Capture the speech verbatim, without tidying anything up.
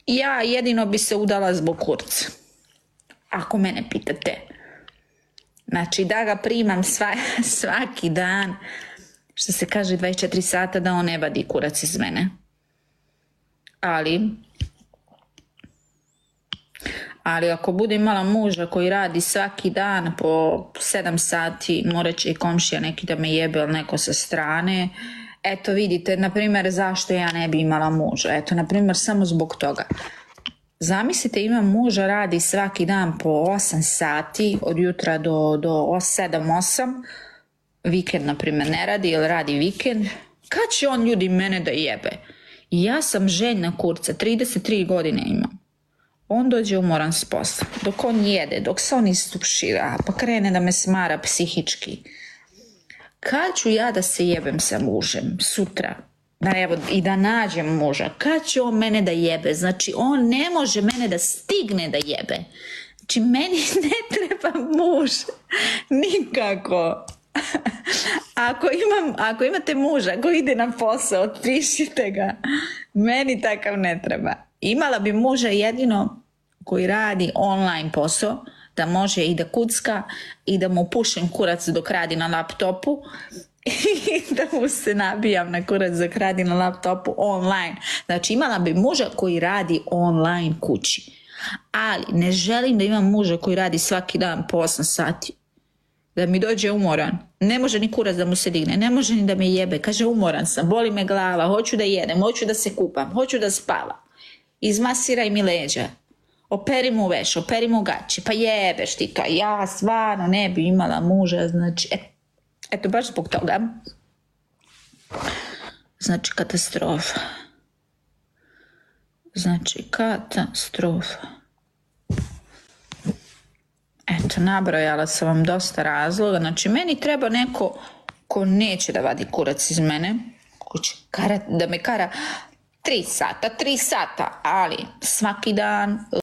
Ja jedino bi se udala zbog kurca. Ako mene pitate. Znači da ga primam sva, svaki dan, što se kaže dvadeset četiri sata, da on ne vadi kurac iz mene. Ali, ali ako bude imala muža koji radi svaki dan po sedam sati, morat će i komšija neki da me jebe ili neko sa strane. Eto vidite, na primjer, zašto ja ne bi imala muža. Eto, na primjer, samo zbog toga. Zamislite, imam muža, radi svaki dan po osam sati, od jutra do, do sedam osam, vikend, na primjer, ne radi ili radi vikend. Kad će on, ljudi, mene da jebe? Ja sam željna kurca, trideset tri godine imam. On dođe umoran s posla, dok on jede, dok se on istušira, pa krene da me smara psihički. Kad ću ja da se jebem sa mužem sutra? Da, evo, i da nađem muža. Kad će on mene da jebe? Znači, on ne može mene da stigne da jebe. Znači, meni ne treba muž. Nikako. Ako, imam, ako imate muža koji ide na posao, otpišite ga. Meni takav ne treba. Imala bi muža jedino koji radi online posao, da može i da kucka i da mu pušem kurac dok radi na laptopu i da mu se nabijam na kurac dok radi na laptopu online. Znači, imala bi muža koji radi online kući. Ali ne želim da imam muža koji radi svaki dan po osam sati. Da mi dođe umoran. Ne može ni kurac da mu se digne. Ne može ni da me jebe. Kaže, umoran sam, boli me glava, hoću da jedem, hoću da se kupam, hoću da spavam. Izmasiraj mi leđa. Operi mu veš, operi mu gaće. Pa jebeš ti to. Ja stvarno ne bi imala muža. Znači, et, eto, baš zbog toga. Znači, katastrofa. Znači, katastrofa. Eto, nabrojala sam vam dosta razloga. Znači, meni treba neko ko neće da vadi kurac iz mene, ko će kara, da me kara tri sata, tri sata, ali svaki dan